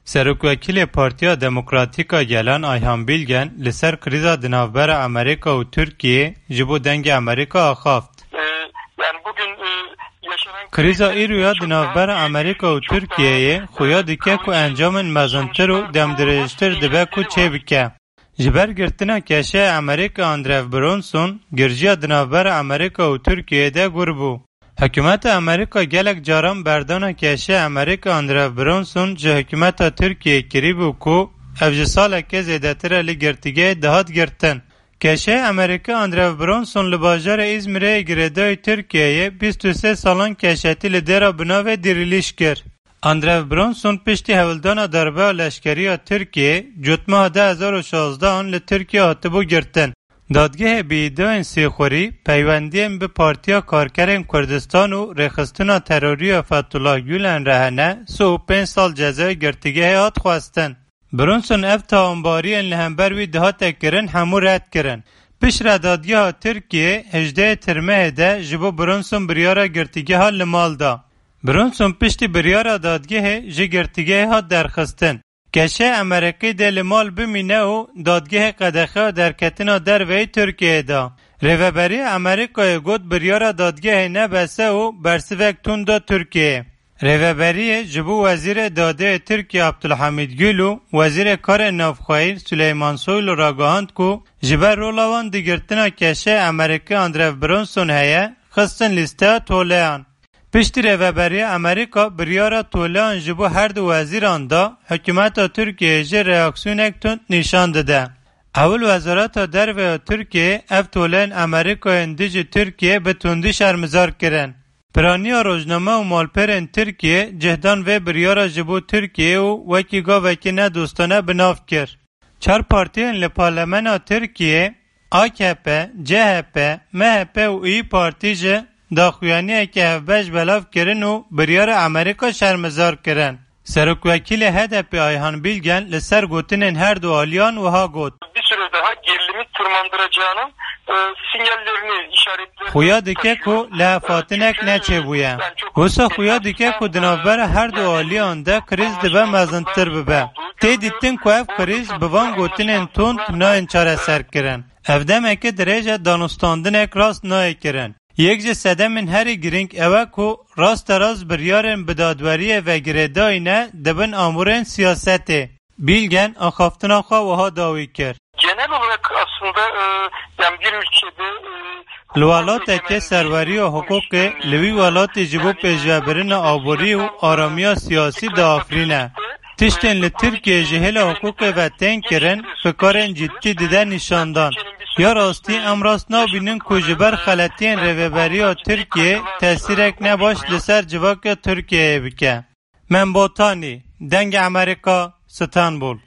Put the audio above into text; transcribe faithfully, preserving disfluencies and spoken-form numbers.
Serokwekîlê Partiya Demokratîk a Gelan Ayhan Bilgen li ser krîza di navbera Amerîka û Tirkiyeyê ji bo Dengê Amerîka axaft. Ee, yani bugün, e, yaşanan Krîza îro ya di navbera Amerîka û Tirkiyeyê xuya dike ku encamên mezintir û demdirêjtir dibe ku çêbike. Ji ber girtina keşeyê Amerîka Andrew Bronson, girjiya di navbera Amerîka û Tirkiyeyê de gur bû. Hikûmeta Amerîka gelek caran berdana keşeyê Amerîka Andrew Bronson ji hikûmeta Tirkiyeyê kirîbû ku ev ji saleke zêdetir e li girtîgehê dihat girtin. Keşeyê Amerîka Andrew Bronson li bajarê Îzmîrê yê girêdayî Tirkiyeyê bîst û sê salan keşetî li dêra bi navê Dirîlîş kir. Andrew Bronson piştî hewldana darbeya leşkerî ya Tirkiyeyê, cotmeha du hezar û şazdehan li Tirkiye hatibû girtin. Dadgehê bi îdiayên sêxurî, peywendiyên bi Partiya Karkerên Kurdistan û rêxistina terorî ya Fethullah Gulen re hene, sih û pênc sal cezayê girtîgehê hat xwestin. Bronson ev tawanbariyên li hember wî dihate kirin hemû red kirin. Piştre dadgeha Tirkiyê hejdehê Tirmehê de ji bo Bronson biryara girtîgeha li mal da. Bronson piştî biryara dadgehê ji girtîgehê hat derxistin. Keşeyê Amerîkî dê li mal bimîne û dadgehê qedexeya derketina derveyî Tirkiyeyê da. Rêveberiya Amerîkayê got biryara dadgehê ne bes e û bersivek tund da Tirkiyeyê. Rêveberiyê ji bo Wezîrê Dadê yê Tirkiyê Abdulhamid Gül û Wezîrê Karê Navxweyî Süleyman Soylu ragihand ku ji ber rola wan di girtina keşeyê Amerîkî Andrew Bronson heye, xistin lîsteya toleyan. Piştî Rêveberiya Amerîka biryara toleyan ji bo her du wezîran da, hikûmeta Tirkiyeyê jî reaksiyonek tund nîşan dide. Ewil Wezareta Derve ya Tirkiyeyê ev toleyên Amerîkayên dijî Tirkiyeyê bi tundî şermizar kirin. Piraniya rojname û malperên Tirkiyê cih dan vê biryara ji bo Tirkiyeyê û wekî gavekî nedostane bi nav kir. Çar partiyên li parlemena Tirkiyê, A K P, C H P, M H P û İYİ Partî jî daxuyaniyeke hevbeş belav kirin û biryara Amerîka şermizar kirin. Serokwekîlê H D P Ayhan Bilgen li ser gotinên her du aliyan wiha got. Bir süre daha gerilimi tırmandıracağının, e, sinyallerini, işaretlerini Xuya dike ku lihevhatinek neçêbûye. Wisa xuya dike ku di navbera her du aliyan de krîz dibe mezintir bibe. Tê dîtin ku ev krîz bi van gotinên tund nayên çareserkirin. Ev demeke dirêj e, danûstandinek rast nayê kirin. Yek ji sedemên herî girîng ew e ku rasterast biryarên bi dadweriyê ve girêdayî ne di bin amûrên siyasetê. Bilgen axaftina xwe wiha dawî kir. Genel olarak aslında, e, yani bir ülkede, e, Li welateke serweriya hiqûqê li wî welatê ji bo pêşvebirina aborî û aramiya siyasî diafirîne. Tiştên li Tirkiyeyê ji hêla hiqûqê ve tên kirin, fikarên cidî dide nîşandan. Ya rastî em rast nabînin ku ji ber xeletiyên rêveberiya Tirkiyeyê tesîrek nebaş li ser civaka Tirkiyeyê bike. Membotanî, Dengê Amerîka, Stenbul.